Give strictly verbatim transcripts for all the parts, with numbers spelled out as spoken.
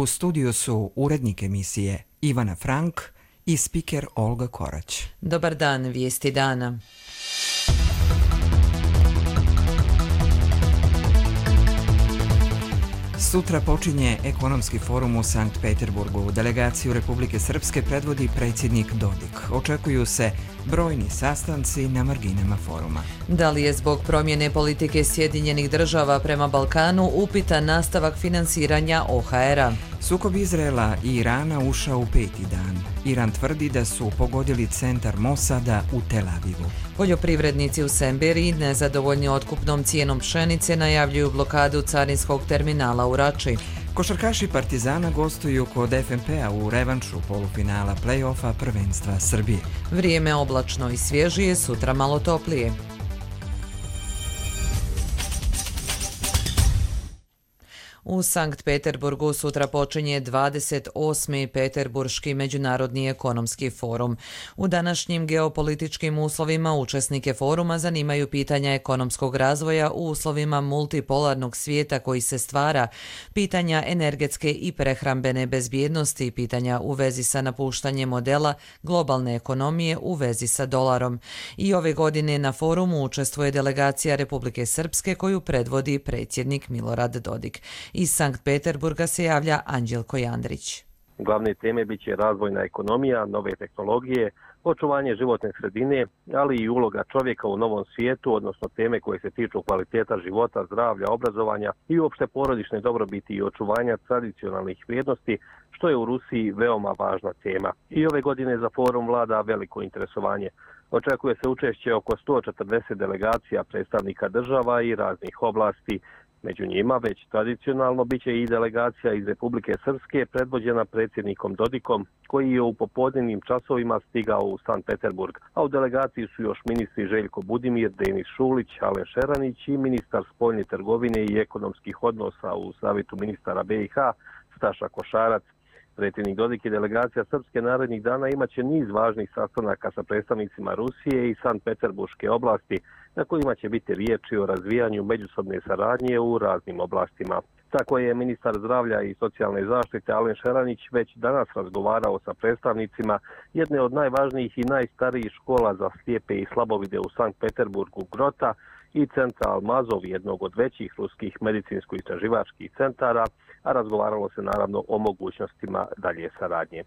U studiju su urednik emisije Ivana Frank i spiker Olga Korać. Dobar dan, vijesti dana. Sutra počinje ekonomski forum u Sankt Peterburgu. Delegaciju Republike Srpske predvodi predsjednik Dodik. Očekuju se brojni sastanci na marginama foruma. Da li je zbog promjene politike Sjedinjenih država prema Balkanu upitan nastavak finansiranja O H R-a? Sukob Izraela i Irana ušao u peti dan. Iran tvrdi da su pogodili centar Mosada u Tel Avivu. Poljoprivrednici u Semberiji, nezadovoljni otkupnom cijenom pšenice, najavljuju blokadu carinskog terminala u Rači. Košarkaši Partizana gostuju kod F N P-a u revanšu polufinala play-offa prvenstva Srbije. Vrijeme oblačno i svježije, sutra malo toplije. U Sankt Peterburgu sutra počinje dvadeset osmi Peterburški međunarodni ekonomski forum. U današnjim geopolitičkim uslovima učesnike foruma zanimaju pitanja ekonomskog razvoja u uslovima multipolarnog svijeta koji se stvara, pitanja energetske i prehrambene bezbjednosti, pitanja u vezi sa napuštanjem modela globalne ekonomije u vezi sa dolarom. I ove godine na forumu učestvuje delegacija Republike Srpske koju predvodi predsjednik Milorad Dodik. Iz Sankt Peterburga se javlja Anđelko Jandrić. Glavne teme bit će razvojna ekonomija, nove tehnologije, očuvanje životne sredine, ali i uloga čovjeka u novom svijetu, odnosno teme koje se tiču kvaliteta života, zdravlja, obrazovanja i uopšte porodične dobrobiti i očuvanja tradicionalnih vrijednosti, što je u Rusiji veoma važna tema. I ove godine za forum vlada veliko interesovanje. Očekuje se učešće oko sto četrdeset delegacija predstavnika država i raznih oblasti. Među njima već tradicionalno bit će i delegacija iz Republike Srpske predvođena predsjednikom Dodikom, koji je u popodnevnim časovima stigao u Sankt Peterburg, a u delegaciji su još ministri Željko Budimir, Denis Šulić, Alen Šeranić i ministar spoljne trgovine i ekonomskih odnosa u Savjetu ministara B i H Staša Košarac. Predsjednik Dodik i delegacija Srpske narednih dana imaće niz važnih sastanaka sa predstavnicima Rusije i Sankt Peterburške oblasti, na kojima će biti riječi o razvijanju međusobne saradnje u raznim oblastima. Tako je ministar zdravlja i socijalne zaštite Alen Šeranić već danas razgovarao sa predstavnicima jedne od najvažnijih i najstarijih škola za slijepe i slabovide u Sankt Peterburgu Grota i centra Almazov, jednog od većih ruskih medicinsko-istraživačkih centara, a razgovaralo se naravno o mogućnostima dalje saradnje.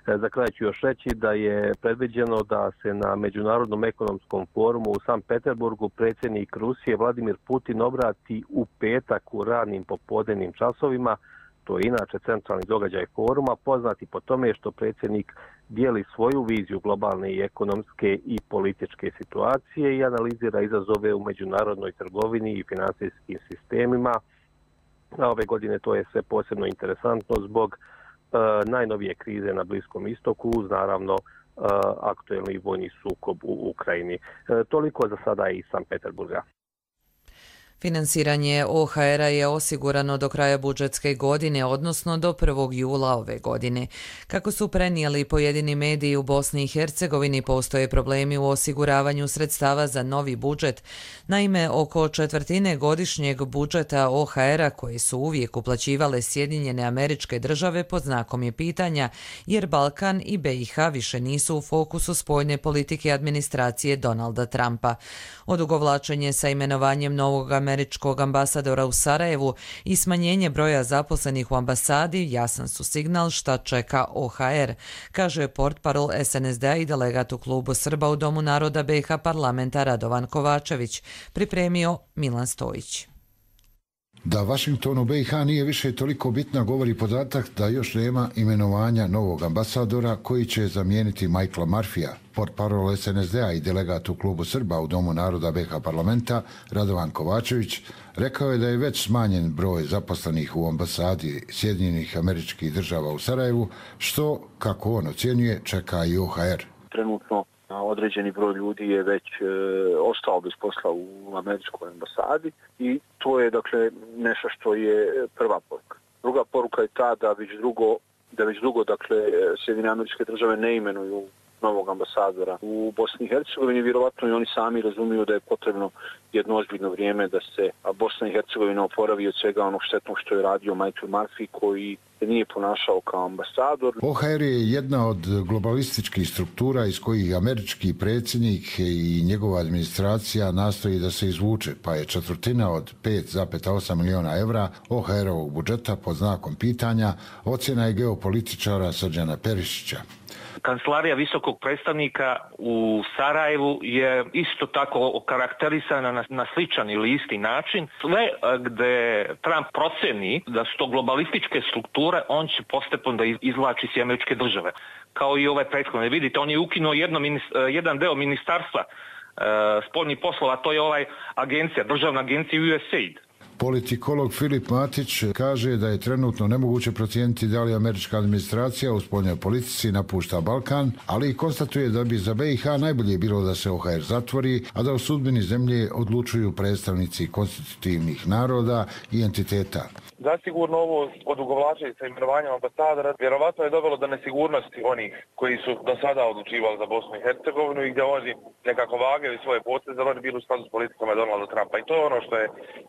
Za kraj ću još reći da je predviđeno da se na Međunarodnom ekonomskom forumu u Sankt Peterburgu predsjednik Rusije Vladimir Putin obrati u petak u ranim popodnevnim časovima. To je inače centralni događaj foruma, poznati po tome što predsjednik dijeli svoju viziju globalne i ekonomske i političke situacije i analizira izazove u međunarodnoj trgovini i financijskim sistemima. A ove godine to je sve posebno interesantno zbog e, najnovije krize na Bliskom istoku, uz naravno e, aktuelni vojni sukob u Ukrajini. E, toliko za sada iz Sankt Peterburga. Finansiranje O H R-a je osigurano do kraja budžetske godine, odnosno do prvog jula ove godine. Kako su prenijeli pojedini mediji u Bosni i Hercegovini, postoje problemi u osiguravanju sredstava za novi budžet. Naime, oko četvrtine godišnjeg budžeta O H R-a, koje su uvijek uplaćivale Sjedinjene Američke Države, pod znakom je pitanja, jer Balkan i B i H više nisu u fokusu spoljne politike administracije Donalda Trumpa. Odugovlačenje sa imenovanjem novog američkog ambasadora u Sarajevu i smanjenje broja zaposlenih u ambasadi jasan su signal šta čeka O H R, kaže portparol S N S D-a i delegat u klubu Srba u Domu naroda B i H parlamenta Radovan Kovačević, pripremio Milan Stojić. Da Vašingtonu B i H nije više toliko bitna govori podatak da još nema imenovanja novog ambasadora koji će zamijeniti Michaela Murphyja. Portparol S N S D-a i delegat u klubu Srba u Domu naroda B i H parlamenta Radovan Kovačević rekao je da je već smanjen broj zaposlenih u ambasadi Sjedinjenih Američkih Država u Sarajevu, što, kako on ocjenjuje, čeka i O H R. Trenutno određeni broj ljudi je već e, ostao bez posla u američkoj ambasadi i to je dakle nešto što je prva poruka. Druga poruka je ta da već drugo, da već dugo dakle Sjedinjene Američke Države ne imenuju novog ambasadora u Bosni i Hercegovini. Vjerovatno i oni sami razumiju da je potrebno jedno ozbiljno vrijeme da se Bosna i Hercegovina oporavi od svega onog štetnog što je radio Michael Murphy, koji se nije ponašao kao ambasador. O H R je jedna od globalističkih struktura iz kojih američki predsjednik i njegova administracija nastoji da se izvuče, pa je četvrtina od pet zarez osam miliona evra O H R-ovog budžeta pod znakom pitanja, ocjena je geopolitičara Srđana Perišića. Kancelarija visokog predstavnika u Sarajevu je isto tako okarakterisana na, na sličan ili isti način. Sve gde Trump proceni da su to globalističke strukture, on će postepeno da izvlači s američke države. Kao i ove prethodne. Vidite, on je ukinuo jedno, jedan deo ministarstva e, spoljnih poslova, to je ovaj agencija, državna agencija U S A I D. Politikolog Filip Matić kaže da je trenutno nemoguće procijeniti da li američka administracija u spoljnoj politici napušta Balkan, ali i konstatuje da bi za B i H najbolje bilo da se O H R zatvori, a da o sudbini zemlje odlučuju predstavnici konstitutivnih naroda i entiteta. Zasigurno ovo odugovlačenje sa imenovanjem ambasadora vjerovatno je dovelo do nesigurnosti onih koji su do sada odlučivali za Bosnu i Hercegovinu i gdje oni nekako vagaju svoje poteze, ali oni bili u skladu s politikama Donalda Trumpa. I to je ono što je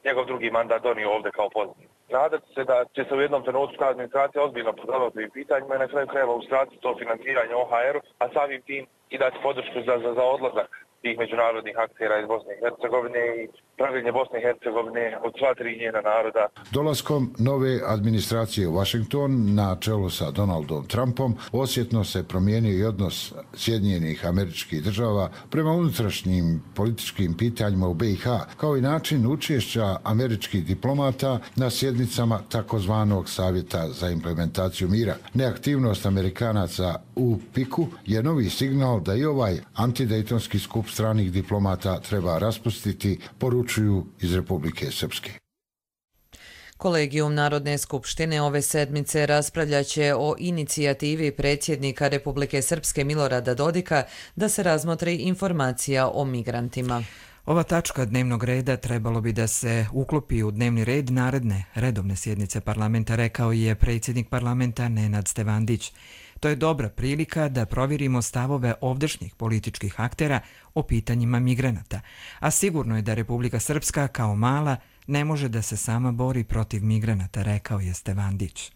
njegov drugi mandat donio ovdje kao pozitiv. Nadati se da će se u jednom trenutku ta administracija ozbiljno pozabaviti ovim pitanjima i na kraju krajeva uskratiti to financiranje O H R-u, a samim tim i dati podršku za, za, za odlazak tih međunarodnih aktera iz Bosne i Hercegovine i pravljenje Bosne i Hercegovine od sva tri njena naroda. Dolaskom nove administracije u Washington na čelu sa Donaldom Trumpom osjetno se promijenio i odnos Sjedinjenih Američkih Država prema unutrašnjim političkim pitanjima u B i H, kao i način učešća američkih diplomata na sjednicama takozvanog Savjeta za implementaciju mira. Neaktivnost Amerikanaca u Piku je novi signal da i ovaj antidejtonski skup stranih diplomata treba raspustiti, poručuju iz Republike Srpske. Kolegijum Narodne skupštine ove sedmice raspravljaće o inicijativi predsjednika Republike Srpske Milorada Dodika da se razmotri informacija o migrantima. Ova tačka dnevnog reda trebalo bi da se uklopi u dnevni red naredne redovne sjednice parlamenta, rekao je predsjednik parlamenta Nenad Stevandić. To je dobra prilika da provjerimo stavove ovdašnjih političkih aktera o pitanjima migranata, a sigurno je da Republika Srpska kao mala ne može da se sama bori protiv migranata, rekao je Stevandić.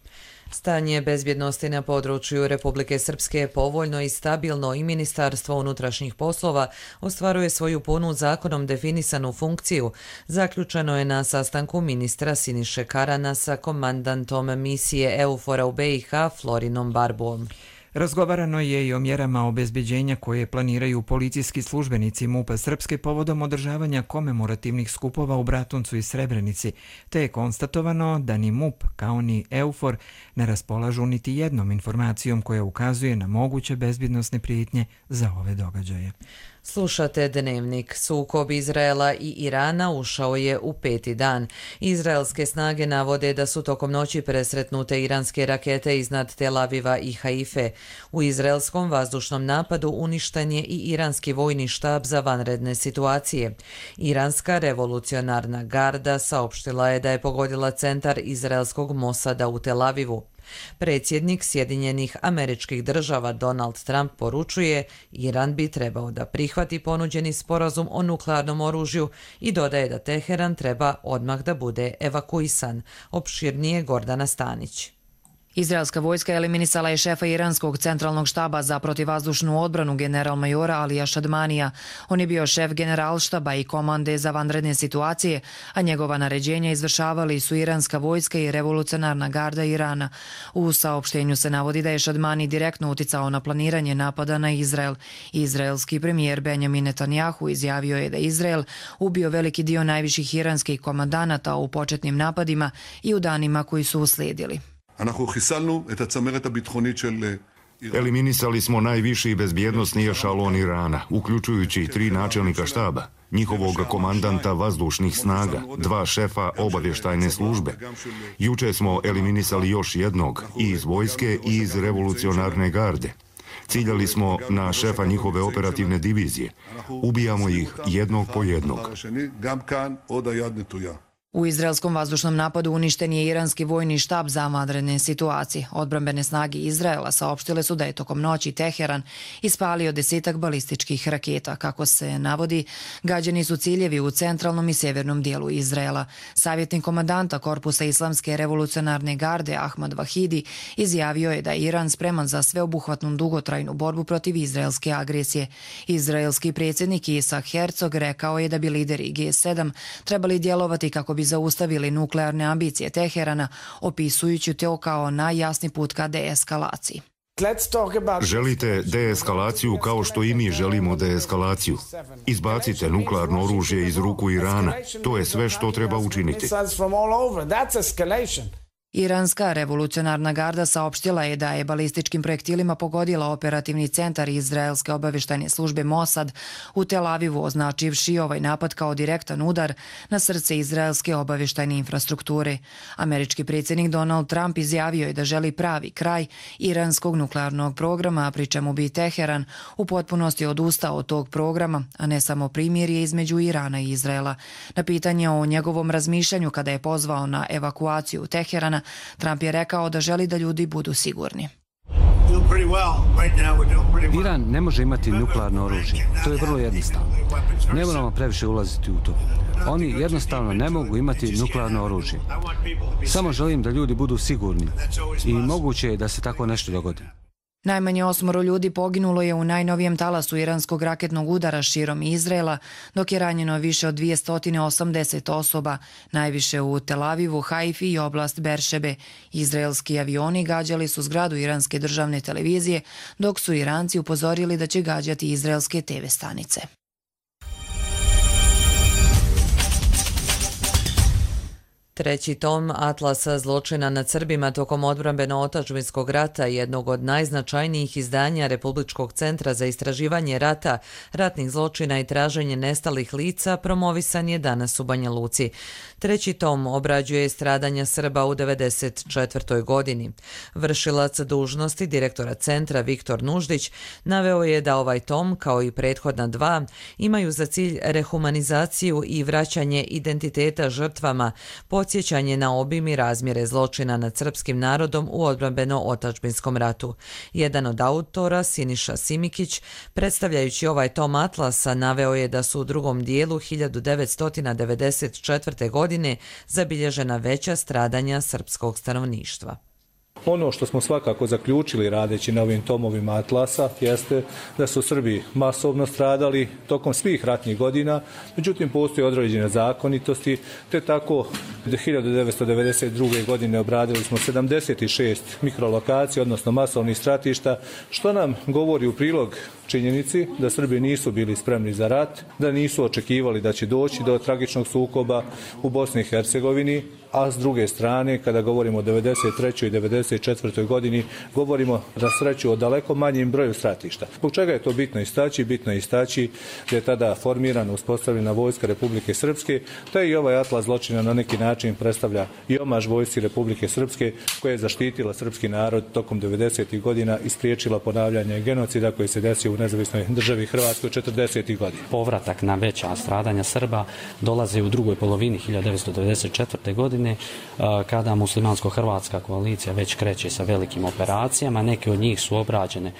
Stanje bezbjednosti na području Republike Srpske je povoljno i stabilno i Ministarstvo unutrašnjih poslova ostvaruje svoju punu zakonom definisanu funkciju. Zaključeno je na sastanku ministra Siniše Karana sa komandantom misije EUFOR-a u B i H Florinom Barbuom. Razgovarano je i o mjerama obezbeđenja koje planiraju policijski službenici MUP-a Srpske povodom održavanja komemorativnih skupova u Bratuncu i Srebrenici, te je konstatovano da ni MUP kao ni EUFOR ne raspolažu niti jednom informacijom koja ukazuje na moguće bezbjednosne prijetnje za ove događaje. Slušate Dnevnik. Sukob Izraela i Irana ušao je u peti dan. Izraelske snage navode da su tokom noći presretnute iranske rakete iznad Tel Aviva i Haife. U izraelskom vazdušnom napadu uništen je i iranski vojni štab za vanredne situacije. Iranska revolucionarna garda saopštila je da je pogodila centar izraelskog Mosada u Tel Avivu. Predsjednik Sjedinjenih Američkih Država Donald Trump poručuje Iran bi trebao da prihvati ponuđeni sporazum o nuklearnom oružju i dodaje da Teheran treba odmah da bude evakuisan. Opširnije Gordana Stanić. Izraelska vojska eliminisala je šefa iranskog centralnog štaba za protivvazdušnu odbranu general-majora Alija Šadmanija. On je bio šef generalštaba i komande za vanredne situacije, a njegova naređenja izvršavali su iranska vojska i revolucionarna garda Irana. U saopštenju se navodi da je Šadmani direktno uticao na planiranje napada na Izrael. Izraelski premijer Benjamin Netanjahu izjavio je da Izrael ubio veliki dio najviših iranskih komandanata u početnim napadima i u danima koji su uslijedili. Eliminisali smo najviši bezbjednosni ešalon Irana, uključujući tri načelnika štaba, njihovog komandanta vazdušnih snaga, dva šefa obavještajne službe. Juče smo eliminisali još jednog i iz vojske i iz revolucionarne garde. Ciljali smo na šefa njihove operativne divizije. Ubijamo ih jednog po jednog. U izraelskom vazdušnom napadu uništen je iranski vojni štab za vanredne situacije. Odbrambene snage Izraela saopštile su da je tokom noći Teheran ispalio desetak balističkih raketa. Kako se navodi, gađani su ciljevi u centralnom i sjevernom dijelu Izraela. Savjetnik komandanta Korpusa Islamske revolucionarne garde Ahmad Vahidi izjavio je da je Iran spreman za sveobuhvatnu dugotrajnu borbu protiv izraelske agresije. Izraelski predsjednik Isak Herzog rekao je da bi lideri G sedam trebali djelovati kako bi bi zaustavili nuklearne ambicije Teherana, opisujući to kao najjasni put ka deeskalaciji. Želite deeskalaciju kao što i mi želimo deeskalaciju. Izbacite nuklearno oružje iz ruku Irana. To je sve što treba učiniti. Iranska revolucionarna garda saopštila je da je balističkim projektilima pogodila operativni centar izraelske obavještajne službe Mossad u Tel Avivu, označivši ovaj napad kao direktan udar na srce izraelske obavještajne infrastrukture. Američki predsjednik Donald Trump izjavio je da želi pravi kraj iranskog nuklearnog programa, pri čemu bi Teheran u potpunosti odustao od tog programa, a ne samo primirje između Irana i Izraela. Na pitanje o njegovom razmišljanju kada je pozvao na evakuaciju Teherana, Trump je rekao da želi da ljudi budu sigurni. Iran ne može imati nuklearno oružje. To je vrlo jednostavno. Ne moramo previše ulaziti u to. Oni jednostavno ne mogu imati nuklearno oružje. Samo želim da ljudi budu sigurni i moguće je da se tako nešto dogodi. Najmanje osmoro ljudi poginulo je u najnovijem talasu iranskog raketnog udara širom Izraela, dok je ranjeno više od dvjesto osamdeset osoba, najviše u Tel Avivu, Haifi i oblast Beršebe. Izraelski avioni gađali su zgradu iranske državne televizije, dok su Iranci upozorili da će gađati izraelske te ve stanice. Treći tom Atlasa zločina nad Srbima tokom odbrambeno-otadžbinskog rata, jednog od najznačajnijih izdanja Republičkog centra za istraživanje rata, ratnih zločina i traženje nestalih lica, promovisan je danas u Banja Luci. Treći tom obrađuje stradanja Srba u devedeset četvrtoj godini. Vršilac dužnosti direktora centra Viktor Nuždić naveo je da ovaj tom, kao i prethodna dva, imaju za cilj rehumanizaciju i vraćanje identiteta žrtvama, podsjećanje na obim i razmjere zločina nad srpskim narodom u odbrambeno-otadžbinskom ratu. Jedan od autora, Siniša Simikić, predstavljajući ovaj tom Atlasa, naveo je da su u drugom dijelu hiljadu devetsto devedeset četvrte. godine zabilježena veća stradanja srpskog stanovništva. Ono što smo svakako zaključili radeći na ovim tomovima Atlasa jeste da su Srbi masovno stradali tokom svih ratnih godina, međutim postoje određene zakonitosti, te tako hiljadu devetsto devedeset druge. godine obradili smo sedamdeset šest mikrolokacija, odnosno masovnih stratišta, što nam govori u prilog činjenici da Srbi nisu bili spremni za rat, da nisu očekivali da će doći do tragičnog sukoba u Bosni i Hercegovini, a s druge strane, kada govorimo o devedeset trećoj. i devedeset četvrtoj. godini, govorimo na sreću o daleko manjim broju stratišta. Zbog čega je to bitno istaći? Bitno je istaći da je tada formirana, uspostavljena vojska Republike Srpske, te i ovaj Atlas zločina na neki način predstavlja i omaž vojsci Republike Srpske, koja je zaštitila srpski narod tokom devedesetih godina i spriječila ponavljanje genocida koji se desio u nezavisnoj državi Hrvatskoj četrdesetih godina. Povratak na veća stradanja Srba dolazi u drugoj polovini hiljadu devetsto devedeset četvrte. godine, kada muslimansko-hrvatska koalicija već kreće sa velikim operacijama. Neke od njih su obrađene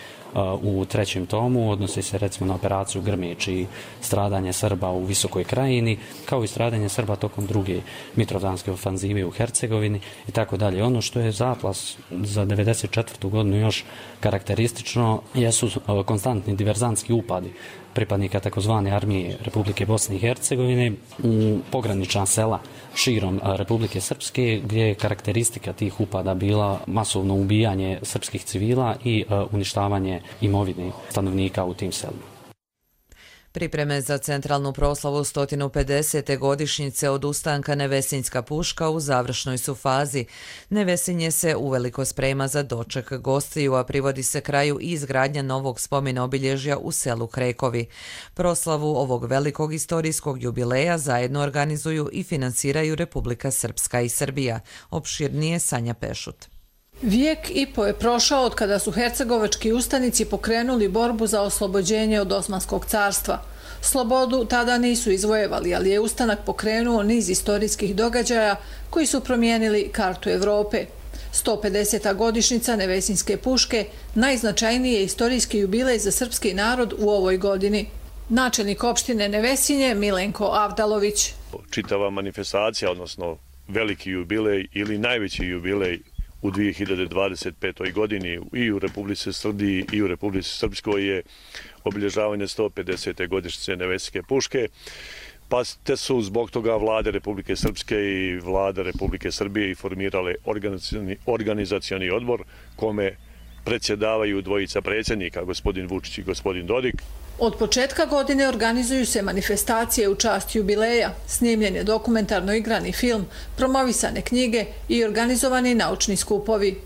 u trećem tomu, odnosi se recimo na operaciju Grmeć i stradanje Srba u Visokoj Krajini, kao i stradanje Srba tokom druge Mitrovdanske ofanzive u Hercegovini i tako dalje. Ono što je za Atlas za devedeset četvrtu. godinu još karakteristično jesu konstantni diverzantski upadi pripadnika takozvane armije Republike Bosne i Hercegovine u pogranična sela širom Republike Srpske, gdje je karakteristika tih upada bila masovno ubijanje srpskih civila i uništavanje imovine stanovnika u tim selima. Pripreme za centralnu proslavu sto pedesete. godišnjice od ustanka Nevesinjska puška u završnoj su fazi. Nevesinje se uveliko sprema za doček gostiju, a privodi se kraju i izgradnja novog spomena obilježja u selu Krekovi. Proslavu ovog velikog istorijskog jubileja zajedno organizuju i finansiraju Republika Srpska i Srbija. Opširnije Sanja Pešut. Vijek i po je prošao od kada su hercegovački ustanici pokrenuli borbu za oslobođenje od Osmanskog carstva. Slobodu tada nisu izvojevali, ali je ustanak pokrenuo niz istorijskih događaja koji su promijenili kartu Evrope. sto pedeseta godišnjica Nevesinjske puške najznačajniji je istorijski jubilej za srpski narod u ovoj godini. Načelnik opštine Nevesinje Milenko Avdalović. Čitava manifestacija, odnosno veliki jubilej ili najveći jubilej u dvije hiljade dvadeset petoj godini i u Republici Srbiji i u Republici Srpskoj je obilježavanje sto pedesete godišnjice Nevesinjske puške. Pa te su zbog toga vlade Republike Srpske i vlada Republike Srbije i formirale organizacioni, organizacioni odbor kome predsjedavaju dvojica predsjednika, gospodin Vučić i gospodin Dodik. Od početka godine organizuju se manifestacije u čast jubileja, snimljen je dokumentarno igrani film, promovisane knjige i organizovani naučni skupovi.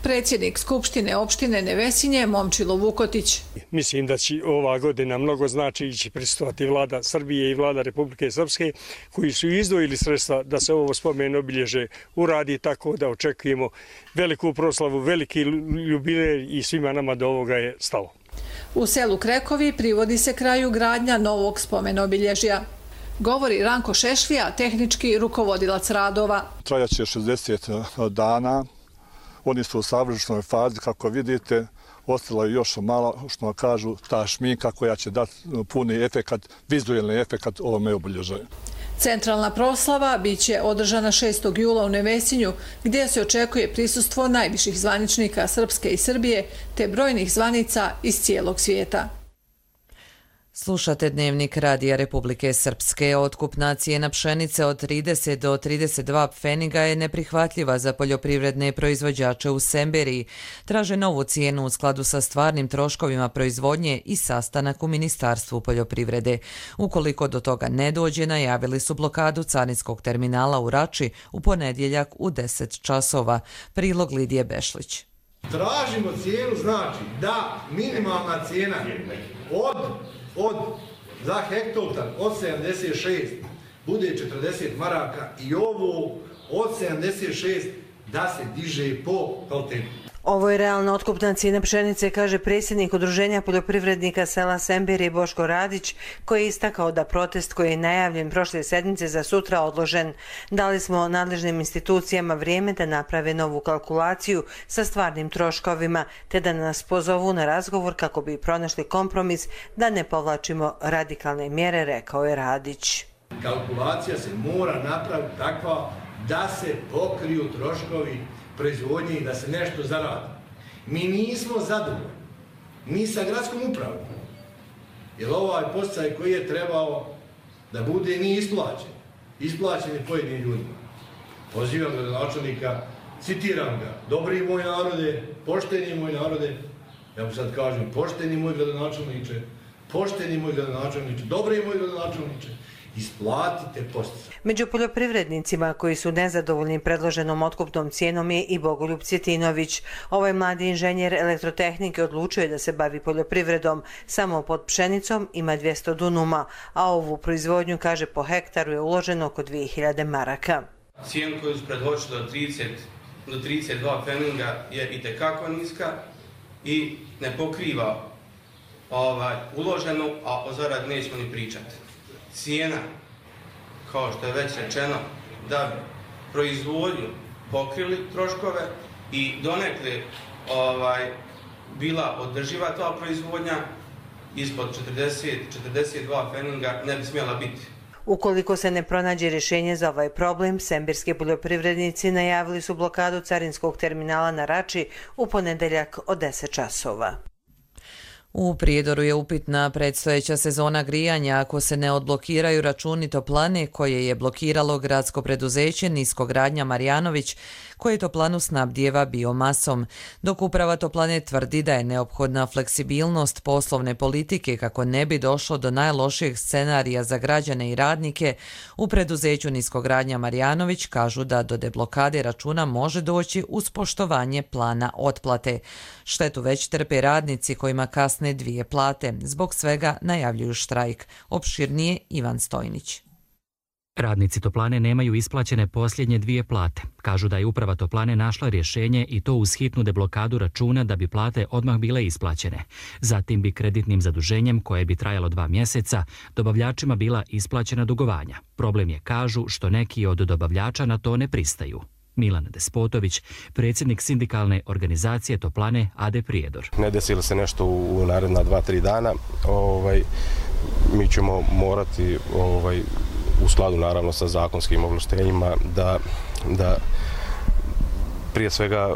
Predsjednik Skupštine opštine Nevesinje Momčilo Vukotić. Mislim da će ova godina mnogo znači će prisustvovati vlada Srbije i vlada Republike Srpske koji su izdvojili sredstva da se ovo spomen obilježe uradi, tako da očekujemo veliku proslavu, veliki jubilej i svima nama do ovoga je stalo. U selu Krekovi privodi se kraju gradnja novog spomen obilježja. Govori Ranko Šešlija, tehnički rukovodilac radova. Trajaće šezdeset dana. Oni su u savršenoj fazi, kako vidite, ostala je još malo, što kažu, ta šminka koja će dati puni efekat, vizualni efekat ovome obilježaju. Centralna proslava biće održana šestog jula u Nevesinju, gdje se očekuje prisustvo najviših zvaničnika Srpske i Srbije, te brojnih zvanica iz cijelog svijeta. Slušate Dnevnik Radija Republike Srpske. Otkupna cijena pšenice od trideset do trideset dva pfeniga je neprihvatljiva za poljoprivredne proizvođače u Semberiji. Traže novu cijenu u skladu sa stvarnim troškovima proizvodnje i sastanak u Ministarstvu poljoprivrede. Ukoliko do toga ne dođe, najavili su blokadu carinskog terminala u Rači u ponedjeljak u deset časova. Prilog Lidije Bešlić. Tražimo cijenu, znači da minimalna cijena od od za hektolitran od sedamdeset šest bude četrdeset maraka i ovo od sedamdeset šest da se diže po kvalitetu. Ovo je realna otkupna cijena pšenice, kaže predsjednik Udruženja poljoprivrednika sela Sembiri Boško Radić, koji je istakao da protest koji je najavljen prošle sedmice za sutra odložen. Dali smo nadležnim institucijama vrijeme da naprave novu kalkulaciju sa stvarnim troškovima, te da nas pozovu na razgovor kako bi pronašli kompromis da ne povlačimo radikalne mjere, rekao je Radić. Kalkulacija se mora napraviti takva da se pokriju troškovi proizvodnje i da se nešto zaradi. Mi nismo zadovoljni ni sa gradskom upravom, jer ovaj posticaj koji je trebao da bude nije isplaćen. Isplaćen je pojedinim ljudima. Pozivam gradonačelnika, citiram ga, dobri moj narode, pošteni moj narode, ja mu sad kažem, pošteni moj gradonačelniče, pošteni moj gradonačelniče, dobri moj gradonačelniče, isplatite posticaj. Među poljoprivrednicima koji su nezadovoljni predloženom otkupnom cijenom je i Bogoljub Cjetinović. Ovaj mladi inženjer elektrotehnike odlučio je da se bavi poljoprivredom. Samo pod pšenicom ima dvjesto dunuma, a ovu proizvodnju, kaže, po hektaru je uloženo oko dvije hiljade maraka. Cijen koju su predložili do trideset do trideset dva pfeninga je itekako niska i ne pokriva ovaj, uloženu, a o zaradi nećemo ni pričati. Cijena, kao što je već rečeno, da bi proizvodnju pokrili troškove i donekle ovaj, bila održiva ta proizvodnja, ispod četrdeset do četrdeset dva pfeninga ne bi smjela biti. Ukoliko se ne pronađe rješenje za ovaj problem, sembirski poljoprivrednici najavili su blokadu carinskog terminala na Rači u ponedeljak od deset časova. U Prijedoru je upitna predstojeća sezona grijanja ako se ne odblokiraju računi toplane koje je blokiralo gradsko preduzeće Niskogradnja Marjanović, koje toplanu snabdijeva biomasom, dok uprava toplane tvrdi da je neophodna fleksibilnost poslovne politike kako ne bi došlo do najlošijeg scenarija za građane i radnike. U preduzeću Niskogradnja Marjanović kažu da do deblokade računa može doći uz poštovanje plana otplate. Štetu već trpe radnici kojima kasne dvije plate. Zbog svega najavljuju štrajk. Opširnije Ivan Stojnić. Radnici toplane nemaju isplaćene posljednje dvije plate. Kažu da je uprava toplane našla rješenje i to uz hitnu deblokadu računa da bi plate odmah bile isplaćene. Zatim bi kreditnim zaduženjem, koje bi trajalo dva mjeseca, dobavljačima bila isplaćena dugovanja. Problem je, kažu, što neki od dobavljača na to ne pristaju. Milan Despotović, predsjednik sindikalne organizacije toplane A D Prijedor. Ne desi li se nešto u naredna dva, tri dana, ovaj, mi ćemo morati ovaj, u skladu naravno sa zakonskim ovlaštenjima da, da prije svega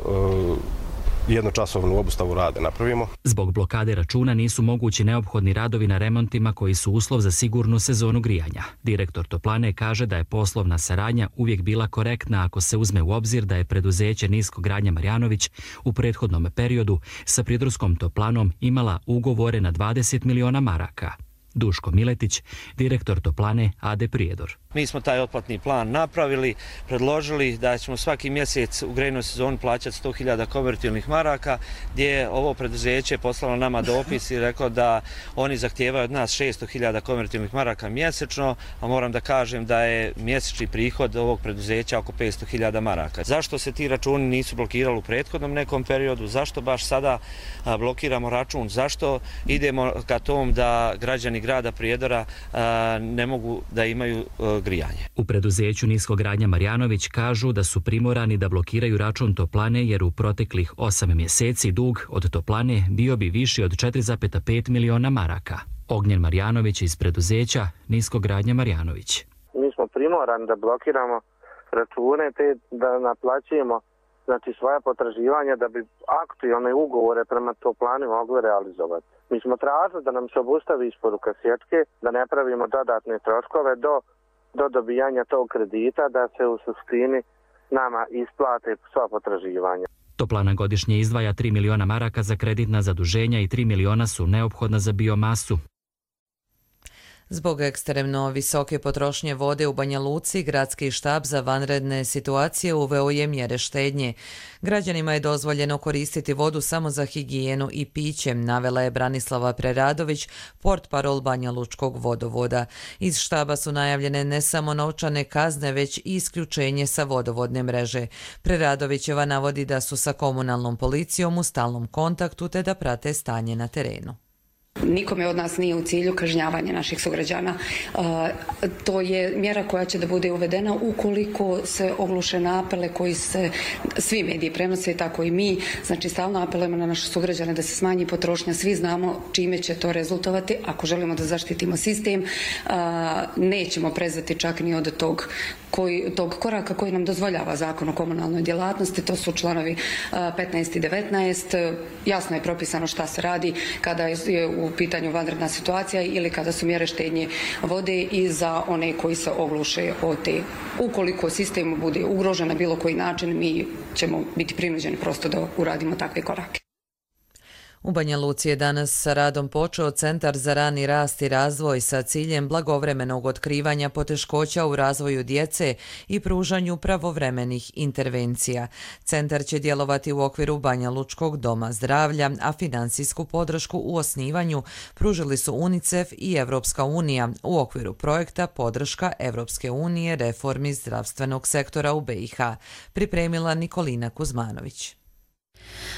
jednočasovnu obustavu rada napravimo. Zbog blokade računa nisu mogući neophodni radovi na remontima koji su uslov za sigurnu sezonu grijanja. Direktor toplane kaže da je poslovna saradnja uvijek bila korektna ako se uzme u obzir da je preduzeće Niskogradnja Marjanović u prethodnom periodu sa prijedorskom toplanom imala ugovore na dvadeset miliona maraka. Duško Miletić, direktor toplane A D Prijedor. Mi smo taj otplatni plan napravili, predložili da ćemo svaki mjesec u grejnoj sezoni plaćati sto hiljada konvertibilnih maraka, gdje je ovo preduzeće poslalo nama dopis i reklo da oni zahtijevaju od nas šesto hiljada konvertibilnih maraka mjesečno, a moram da kažem da je mjesečni prihod ovog preduzeća oko petsto hiljada maraka. Zašto se ti računi nisu blokirali u prethodnom nekom periodu? Zašto baš sada blokiramo račun? Zašto idemo ka tom da građani grada Prijedora ne mogu da imaju grijanje? U preduzeću Niskogradnja Marjanović kažu da su primorani da blokiraju račun toplane jer u proteklih osam mjeseci dug od toplane bio bi viši od četiri zarez pet miliona maraka. Ognjen Marjanović iz preduzeća Niskogradnja Marjanović. Mi smo primorani da blokiramo račune te da naplaćujemo znači svoja potraživanja da bi aktualne ugovore prema toplani mogli realizovati. Mi smo tražili da nam se obustavi isporuka sječke, da ne pravimo dodatne troškove do, do dobijanja tog kredita, da se u suštini nama isplate sva potraživanja. Toplana godišnje izdvaja tri miliona maraka za kreditna zaduženja i tri miliona su neophodna za biomasu. Zbog ekstremno visoke potrošnje vode u Banja Luci, gradski štab za vanredne situacije uveo je mjere štednje. Građanima je dozvoljeno koristiti vodu samo za higijenu i piće, navela je Branislava Preradović, portparol Banja Lučkog vodovoda. Iz štaba su najavljene ne samo novčane kazne, već i isključenje sa vodovodne mreže. Preradovićeva navodi da su sa komunalnom policijom u stalnom kontaktu te da prate stanje na terenu. Nikome od nas nije u cilju kažnjavanje naših sugrađana. To je mjera koja će da bude uvedena ukoliko se ogluše na apele koji se svi mediji prenose, tako i mi. Znači, stalno apelujemo na naše sugrađane da se smanji potrošnja. Svi znamo čime će to rezultovati. Ako želimo da zaštitimo sistem, nećemo prezati čak ni od tog, koji, tog koraka koji nam dozvoljava zakon o komunalnoj djelatnosti. To su članovi petnaest i devetnaest. Jasno je propisano šta se radi kada je u pitanju vanredna situacija ili kada su mjere štednje vode i za one koji se ogluše o te. Ukoliko sistem bude ugrožen na bilo koji način, mi ćemo biti prinuđeni prosto da uradimo takve korake. U Banja Luci je danas sa radom počeo Centar za rani rast i razvoj sa ciljem blagovremenog otkrivanja poteškoća u razvoju djece i pružanju pravovremenih intervencija. Centar će djelovati u okviru Banja Lučkog doma zdravlja, a financijsku podršku u osnivanju pružili su UNICEF i Evropska unija u okviru projekta Podrška Evropske unije reformi zdravstvenog sektora u B i H, pripremila Nikolina Kuzmanović.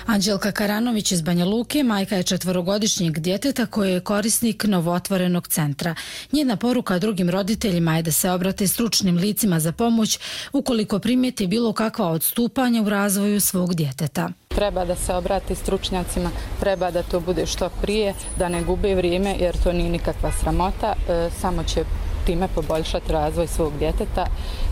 Anđelka Karanović iz Banja Luke majka je četverogodišnjeg djeteta koji je korisnik novootvorenog centra. Njena poruka drugim roditeljima je da se obrate stručnim licima za pomoć ukoliko primijeti bilo kakva odstupanja u razvoju svog djeteta. Treba da se obrati stručnjacima, treba da to bude što prije, da ne gube vrijeme jer to nije nikakva sramota, e, samo će time poboljšati razvoj svog djeteta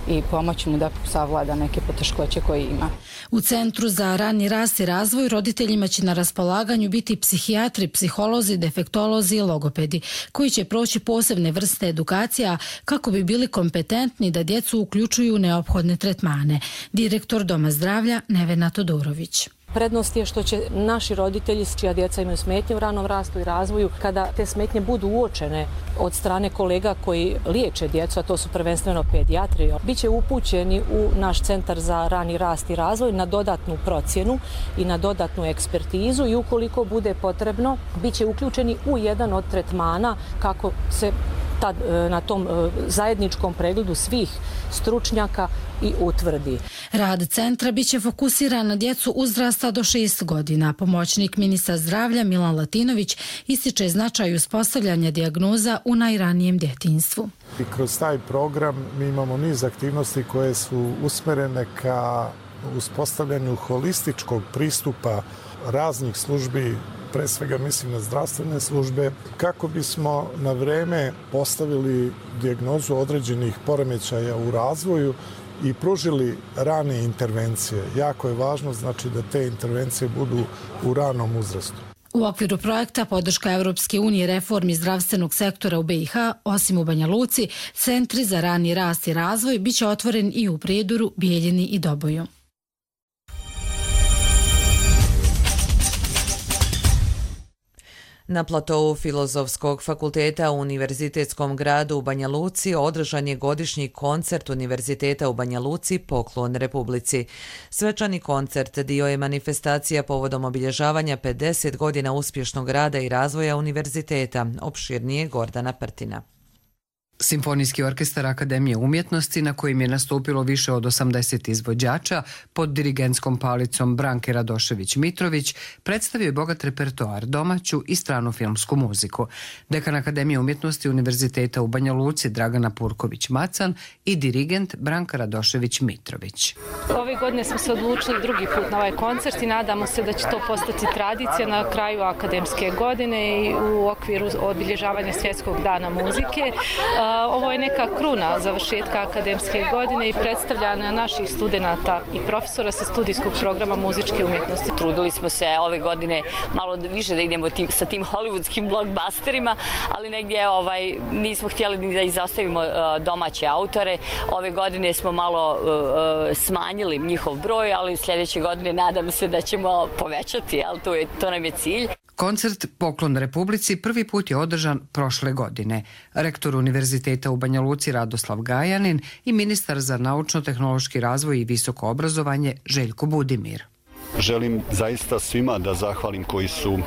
i pomoći mu da savlada neke poteškoće koje ima. U Centru za rani rast i razvoj roditeljima će na raspolaganju biti psihijatri, psiholozi, defektolozi i logopedi, koji će proći posebne vrste edukacija kako bi bili kompetentni da djecu uključuju u neophodne tretmane. Direktor Doma zdravlja Nevena Todorović. Prednost je što će naši roditelji čija djeca imaju smetnje u ranom rastu i razvoju, kada te smetnje budu uočene od strane kolega koji liječe djecu, a to su prvenstveno pedijatri, biće upućeni u naš Centar za rani rast i razvoj na dodatnu procjenu i na dodatnu ekspertizu i ukoliko bude potrebno, bit će uključeni u jedan od tretmana kako se tad, na tom zajedničkom pregledu svih stručnjaka i utvrdi. Rad centra biće fokusiran na djecu uzrasta do šest godina. Pomoćnik ministra zdravlja Milan Latinović ističe značaj uspostavljanja dijagnoza u najranijem djetinjstvu. I kroz taj program mi imamo niz aktivnosti koje su usmerene ka uspostavljanju holističkog pristupa raznih službi, pre svega mislim na zdravstvene službe, kako bismo na vreme postavili dijagnozu određenih poremećaja u razvoju i pružili rane intervencije. Jako je važno znači da te intervencije budu u ranom uzrastu. U okviru projekta podrška Evropske unije reformi zdravstvenog sektora u B i H, osim u Banja Luci, centri za rani rast i razvoj biće otvoren i u Prijedoru, Bijeljini i Doboju. Na platovu Filozofskog fakulteta u Univerzitetskom gradu u Banja Luci održan je godišnji koncert Univerziteta u Banja Luci Poklon Republici. Svečani koncert dio je manifestacija povodom obilježavanja pedeset godina uspješnog rada i razvoja univerziteta, opširnije Gordana Prtina. Simfonijski orkestar Akademije umjetnosti, na kojim je nastupilo više od osamdeset izvođača pod dirigentskom palicom Branke Radošević-Mitrović, predstavio je bogat repertoar, domaću i stranu filmsku muziku. Dekan Akademije umjetnosti Univerziteta u Banja Luci Dragana Purković-Macan i dirigent Branka Radošević-Mitrović. Ove godine smo se odlučili drugi put na ovaj koncert i nadamo se da će to postati tradicija na kraju akademske godine i u okviru obilježavanja Svjetskog dana muzike. Ovo je neka kruna završetka akademske godine i predstavljanja naših studenata i profesora sa studijskog programa muzičke umjetnosti. Trudili smo se ove godine malo više da idemo tim, sa tim hollywoodskim blockbusterima, ali negdje ovaj, nismo htjeli ni da izostavimo uh, domaće autore. Ove godine smo malo uh, smanjili njihov broj, ali sljedeće godine nadam se da ćemo povećati, ali to, je, to nam je cilj. Koncert Poklon Republici prvi put je održan prošle godine. Rektor Univerziteta u Banja Luci Radoslav Gajanin i ministar za naučno-tehnološki razvoj i visoko obrazovanje Željko Budimir. Želim zaista svima da zahvalim koji su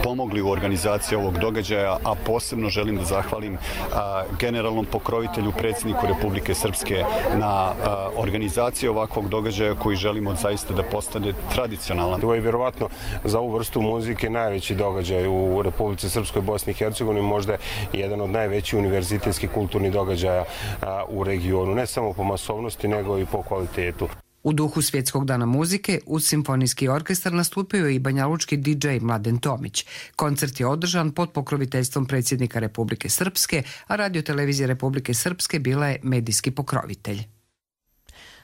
pomogli u organizaciji ovog događaja, a posebno želim da zahvalim a, generalnom pokrovitelju, predsjedniku Republike Srpske na a, organizaciji ovakvog događaja koji želimo zaista da postane tradicionalan. Ovo je vjerovatno za ovu vrstu muzike najveći događaj u Republici Srpskoj, Bosni i Hercegovini, možda jedan od najvećih univerzitetskih kulturnih događaja a, u regionu, ne samo po masovnosti nego i po kvalitetu. U duhu Svjetskog dana muzike uz simfonijski orkestar nastupio je i banjalučki di džej Mladen Tomić. Koncert je održan pod pokroviteljstvom predsjednika Republike Srpske, a Radio-televizija Republike Srpske bila je medijski pokrovitelj.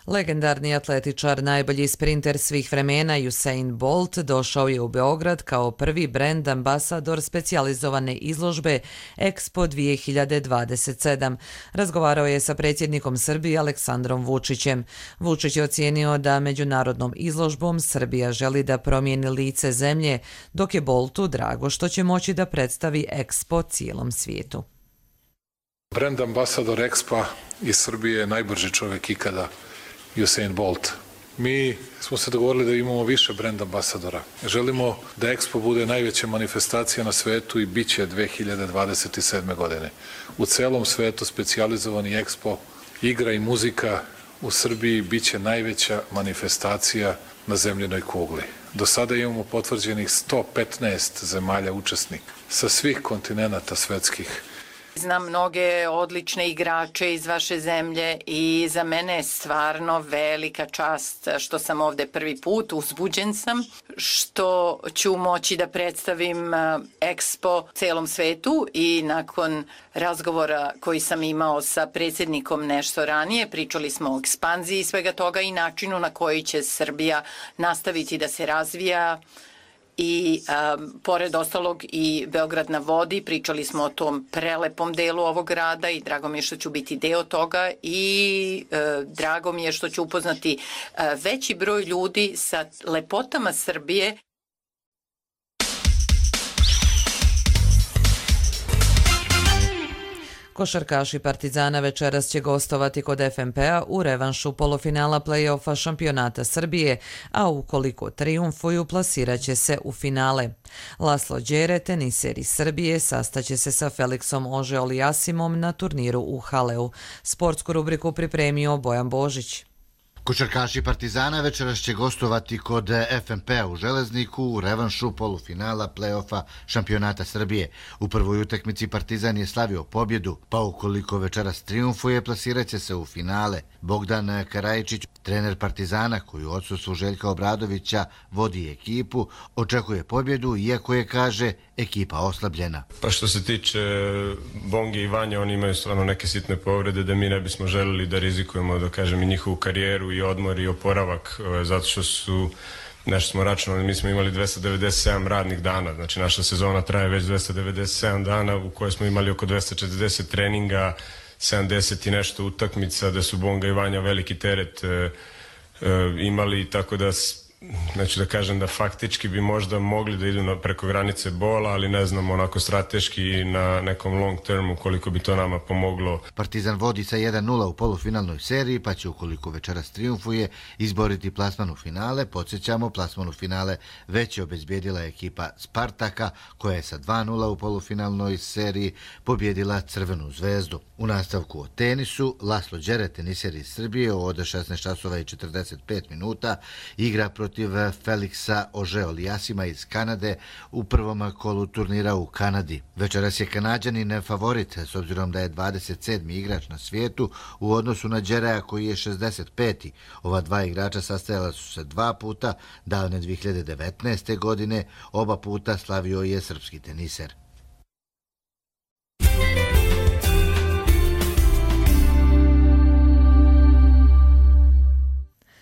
Legendarni atletičar, najbolji sprinter svih vremena Usain Bolt došao je u Beograd kao prvi brand ambasador specijalizovane izložbe Expo dvije hiljade dvadeset sedam. Razgovarao je sa predsjednikom Srbije Aleksandrom Vučićem. Vučić je ocijenio da međunarodnom izložbom Srbija želi da promijeni lice zemlje, dok je Boltu drago što će moći da predstavi Expo cijelom svijetu. Brand ambasador Expo iz Srbije je najbrži čovjek ikada, Usain Bolt. Mi smo se dogovorili da imamo više brand ambasadora. Želimo da Expo bude najveća manifestacija na svetu i bit će dvije hiljade dvadeset sedme. godine. U celom svetu specijalizovani Expo, igra i muzika u Srbiji bit će najveća manifestacija na zemljenoj kugli. Do sada imamo potvrđenih sto petnaest zemalja učesnika sa svih kontinenata svetskih. Znam mnoge odlične igrače iz vaše zemlje i za mene je stvarno velika čast što sam ovde prvi put, uzbuđen sam, što ću moći da predstavim Expo celom svetu i nakon razgovora koji sam imao sa predsjednikom nešto ranije, pričali smo o ekspanziji svega toga i načinu na koji će Srbija nastaviti da se razvija. I um, pored ostalog i Beograd na vodi, pričali smo o tom prelepom delu ovog grada i drago mi je što ću biti deo toga i uh, drago mi je što ću upoznati uh, veći broj ljudi sa lepotama Srbije. Košarkaši Partizana večeras će gostovati kod F M P-a u revanšu polufinala play-offa šampionata Srbije, a ukoliko trijumfuju plasirat će se u finale. Laslo Đere, teniser iz Srbije, sastaće se sa Felixom Ože-Oliasimom na turniru u Haleu. Sportsku rubriku pripremio Bojan Božić. Košarkaši Partizana večeras će gostovati kod F M P-a u Železniku u revanšu polufinala play-offa šampionata Srbije. U prvoj utakmici Partizan je slavio pobjedu, pa ukoliko večeras trijumfuje, plasirat će se u finale. Bogdan Karajičić, trener Partizana, koji u odsustvu Željka Obradovića vodi ekipu, očekuje pobjedu, iako je, kaže, ekipa oslabljena. Pa što se tiče Bonge i Vanja, oni imaju stvarno neke sitne povrede da mi ne bismo želili da rizikujemo, da kažem, i njihovu karijeru i odmor i oporavak, zato što su, nešto smo računali, mi smo imali dvesta devedeset sedam radnih dana, znači naša sezona traje već dvesta devedeset sedam dana u kojoj smo imali oko dvesta četrdeset treninga, sedamdeset i nešto utakmica, da su Bonga i Vanja veliki teret e, e, imali, tako da neću da kažem da faktički bi možda mogli da idu na preko granice bola, ali ne znam onako strateški na nekom long termu koliko bi to nama pomoglo. Partizan vodi sa jedan nula u polufinalnoj seriji, pa će ukoliko večeras trijumfuje izboriti plasman u finale. Podsjećamo, plasman u finale već je obezbijedila ekipa Spartaka, koja je sa dva nula u polufinalnoj seriji pobjedila Crvenu zvezdu. U nastavku o tenisu, Laslo Đere, teniser iz Srbije, od šesnaest časova i četrdeset pet minuta igra protiv protiv Felixa Ože-Oliasima iz Kanade u prvom kolu turnira u Kanadi. Večeras je Kanađanin favorit, s obzirom da je dvadeset sedmi igrač na svijetu u odnosu na Đerea koji je šezdeset peti Ova dva igrača sastajala su se dva puta, davne dvije hiljade devetnaeste. godine, oba puta slavio je srpski teniser.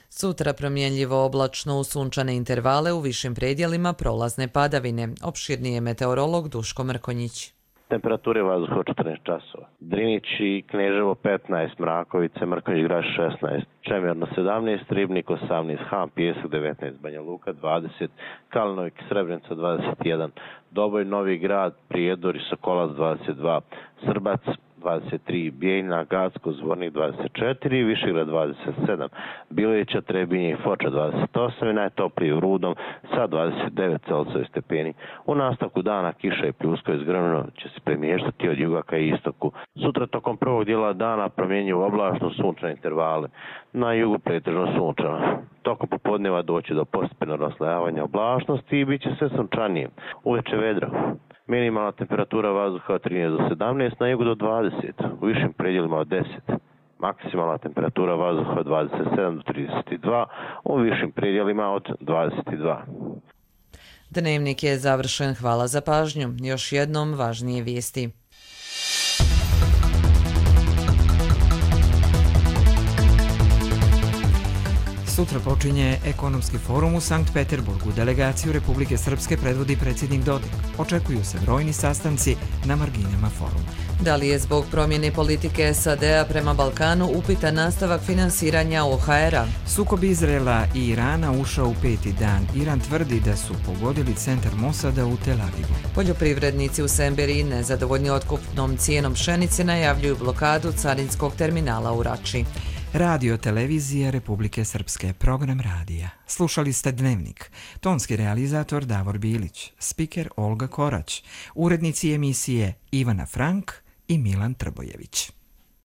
Sutra promjenljivo oblačno, u sunčane intervale, u višim predjelima prolazne padavine. Opširnije meteorolog Duško Mrkonjić. Temperature vazduha četrnaest časova. Drinić i Kneževo petnaest, Mrakovice, Mrkonjić Grad šesnaest, Čemerno sedamnaest, Ribnik osamnaest, Han Pijesak devetnaest, Banja Luka dvadeset, Kalnovik Srebrenica dvadeset jedan, Doboj Novi Grad, Prijedor i Sokolac dvadeset dva, Srbac dvadeset tri, Bijeljna, Gacko, Zvornik dvadeset četiri, Višegrad dvadeset sedam, Bileća, Trebinje i Foča dvadeset osam i najtopliji u Rudom sa dvadeset devet Celzijusovih stepeni. U nastavku dana kiša i pljuska iz grmljena će se premještati od juga ka istoku. Sutra tokom prvog dijela dana promjenjivo oblačno, sunčane intervale. Na jugu pretežno sunčano. Tokom popodneva doći do postepenog raslojavanja oblačnosti i bit će sve sunčanije. Uveče vedro. Minimalna temperatura vazduha od trinaest do sedamnaest, na jugu do dvadeset, u višim predjelima od deset. Maksimalna temperatura vazduha od dvadeset sedam do trideset dva, u višim predjelima od dvadeset dva. Dnevnik je završen, hvala za pažnju. Još jednom važnije vijesti. Sutra počinje ekonomski forum u Sankt Peterburgu. Delegaciju Republike Srpske predvodi predsjednik Dodik. Očekuju se brojni sastanci na marginama foruma. Da li je zbog promjene politike S A D-a prema Balkanu upitan nastavak finansiranja O H R-a? Sukob Izraela i Irana ušao u peti dan. Iran tvrdi da su pogodili centar Mosada u Tel Avivu. Poljoprivrednici u Semberiji, nezadovoljni otkupnom cijenom pšenice, najavljuju blokadu carinskog terminala u Rači. Radio Televizija Republike Srpske, program radija. Slušali ste Dnevnik. Tonski realizator Davor Bilić, spiker Olga Korać, urednici emisije Ivana Frank i Milan Trbojević.